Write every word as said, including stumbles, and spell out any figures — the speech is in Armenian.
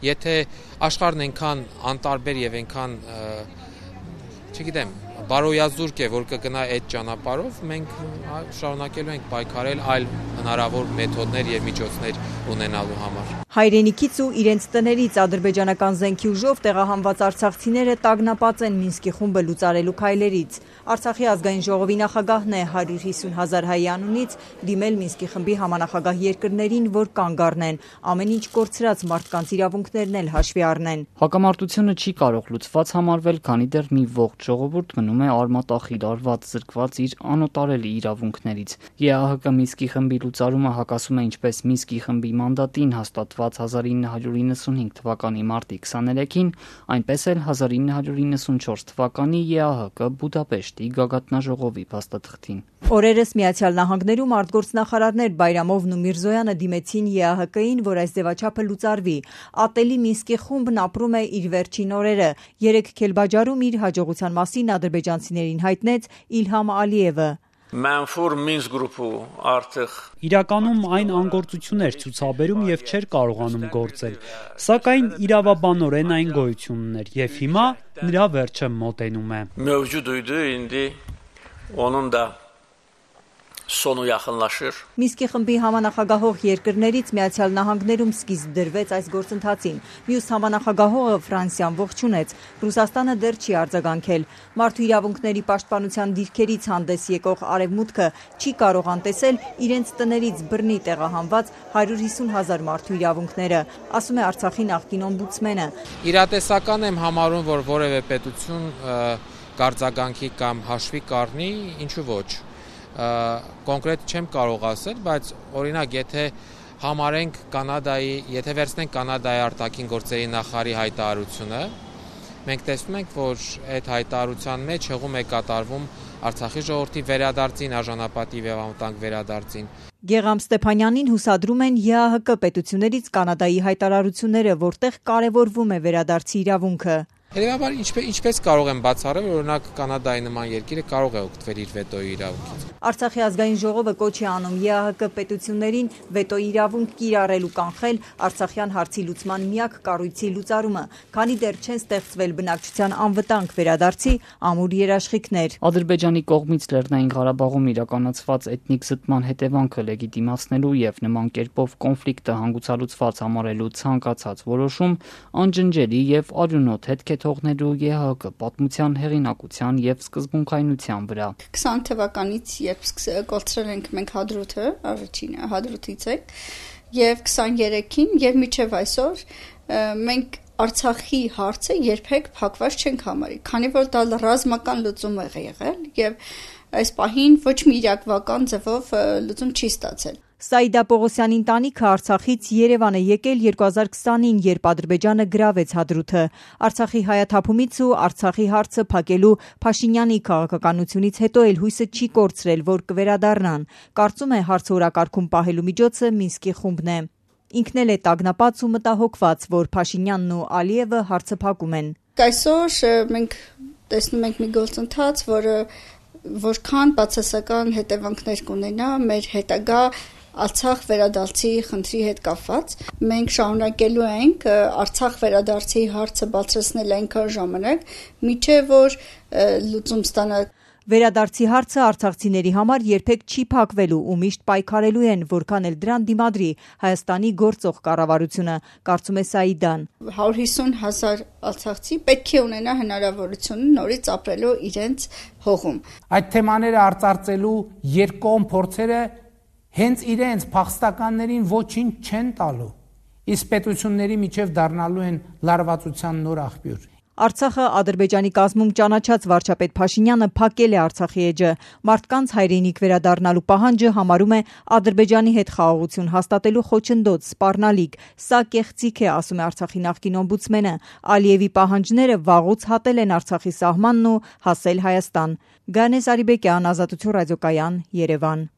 Եթե աշխարհն այնքան անտարբեր եւ այնքան չգիտեմ բարոյազուրկ է, որ կգնա այդ ճանապարհով, մենք շարունակելու ենք պայքարել այլ հնարավոր մեթոդներ եւ միջոցներ ունենալու համար։ Հայրենիքից ու իրենց տներից ադրբեջանական զենքի ուժով տեղահանված արցախցիները տագնապած են Մինսկի խումբը լուծարելու քայլերից։ Արցախի ազգային ժողովի նախագահն է հարյուր հիսուն հազար հայի անունից դիմել Մինսկի խմբի համանախագահ երկրներին, որ կանգ առնեն, ամեն ինչ կորցրած մարդկանց իրավունքներն էլ հաշվի առնեն։ Հակամարտությունը չի կարող լուծված համարվել, քանի դեռ մի ողջ ժողովուրդ մնում է արմատախիլ արված, զրկված իր անօտարելի իրավունքներից։ ԵԱՀԿ Մինսկի խմբի լուծարումը հակասում է ինչպես Մինսկի խմբի մանդատին հաստատված հազար ինը հարյուր իննսունհինգ թվականի մարտի քսաներեքին, այնպես էլ հազար ինը հարյուր իննսունչորս թվականի ԵԱՀԿ Բուդապեշտի գագաթնաժողովի փաստաթղթին։ Օրերս Միացյալ Նահանգներում արտգործնախարարներ Բայրամովն ու Միրզոյանը դիմեցին ԵԱՀԿ-ին, որ այս ձևաչափը լուծարվի։ Ատելի Մինսկի խումբն ապրում է իր վերջին օրերը։ Երեկ Քելբաջարում իր հաջողության մասին ադրբեջանցիներին հայտնեց Իլհամ Ալիևը։ Mənfur Minsk գրուպը արդեն իրականում այն անգործություն էր ցուցաբերում եւ չէր կարողանում գործել, սակայն իրավաբանորեն այն գոյություն ուներ եւ հիմա նրա վերջը մոտենում է։ Mövcud idi, indi onun da sonu yaxınlaşır։ Մինսկի խմբի համանախագահող երկրներից Միացյալ Նահանգներում սկիզբ դրվեց այս գործընթացին։ Մյուս համանախագահողը Ֆրանսիան ողջունեց, Ռուսաստանը դեռ չի արձագանքել։ Մարդու իրավունքների պաշտպանության դիրքերից հանդես եկող Արևմուտքը չի կարող անտեսել իրենց տներից բռնի տեղահանված հարյուր հիսուն հազար մարդու իրավունքները, ասում է Արցախի նախկին օմբուդսմենը։ Իրատեսական եմ համարում, որ որևէ պետություն կարձագանքի կամ հաշվի կառնի, ինչու ոչ։ Կոնկրետ չեմ կարող ասել, բայց օրինակ եթե համարենք Կանադայի, եթե վերցնենք Կանադայի արտաքին գործերի նախարարի հայտարարությունը, մենք տեսնում ենք, որ այդ հայտարարության մեջ հղում է կատարվում Արցախի ժողովրդի վերադարձին, արժանապատիվ եւ անվտանգ վերադարձին։ Գեգամ Ստեփանյանին հուսադրում են ԵԱՀԿ պետություններից Կանադայի հայտարարությունները, որտեղ կարևորվում է վերադարձի իրավունքը։ Հետևաբար ինչպես ինչպես կարող եմ բացառել, որ օրինակ Կանադայի նման երկիրը կարող է օգտվել իր վետոյի իրավունքից։ Արցախի ազգային ժողովը կոչ է անում ԵԱՀԿ պետություններին վետոյի իրավունք կիրառել ու կանխել Արցախյան հարցի լուծման միակ կառույցի լուծարումը, քանի դեռ չեն ստեղծվել բնակչության անվտանգ վերադարձի ամուր երաշխիքներ։ Ադրբեջանի կողմից Լեռնային Ղարաբաղում իրականացված էթնիկ զտման հետևանքը լեգիտիմացնելու եւ նման կերպով կոնֆլիկտը հանգուցալուծված համարելու ցանկացած որոշում անջնջելի եւ արյունոտ հետք է թողնելու ԵԱՀԿ պատմության հեղինակության եւ սկզբունքայնության վրա։ քսան թվականից երբ կորցրել ենք մենք Հադրութը, առաջինը Հադրութից ենք, եւ քսաներեքին եւ մինչեւ այսօր մենք Արցախի հարցը երբեք փակված չենք համարի, քանի որ դա ռազմական լուծում է եղել եւ այս պահին ոչ մի իրավական ձևով լուծում չի ստացել։ Սաիդա Պողոսյանի ընտանիքը Արցախից Երևան է եկել երկու հազար քսանին, երբ Ադրբեջանը գրավեց Հադրութը։ Արցախի հայաթափումից ու Արցախի հարցը փակելու Փաշինյանի քաղաքականությունից հետո էլ հույսը չի կորցրել, որ կվերադառնան։ Կարծում է հարցը օրակարգում պահելու միջոցը Մինսկի խումբն է։ Ինքն էլ է տագնապած ու մտահոգված, որ Փաշինյանն ու Ալիևը հարցը փակում են։ Այսօր մենք տեսնում ենք մի գործընթաց, որը որքան բացասական հետևանքներ կունենա մեր հետագա Արցախ վերադարձի խնդրի հետ կապված։ Մենք շարունակելու ենք Արցախ վերադարձի հարցը բարձրացնել այնքան ժամանակ, մինչև որ լուծում ստանա։ Վերադարձի հարցը արցախցիների համար երբեք չի փակվելու ու միշտ պայքարելու են, որքան էլ դրան դիմադրի Հայաստանի գործող կառավարությունը, կարծում է Սաիդան։ հարյուր հիսուն հազար արցախցի պետք է ունենա հնարավորություն նորից ապրելու իրենց հողում։ Այդ թեմաները արծարծելու երկկողմ փորձերը հենց իրենց փախստականներին ոչինչ չեն տալու, իսկ պետությունների միջև դառնալու են լարվածության նոր աղբյուր։ Արցախը Ադրբեջանի կազմում ճանաչած վարչապետ Փաշինյանը փակել է Արցախի էջը։ Մարդկանց հայրենիք վերադառնալու պահանջը համարում է Ադրբեջանի հետ խաղաղություն հաստատելու խոչընդոտ, սպառնալիք։ Սա կեղծիք է, ասում է Արցախի նախկին օմբուդսմենը։ Ալիևի պահանջները վաղուց հատել են Արցախի սահմանն ու հասել Հայաստան։ Գանես Արիբեկյան, Ազատություն ռադիոկայան, Երևան։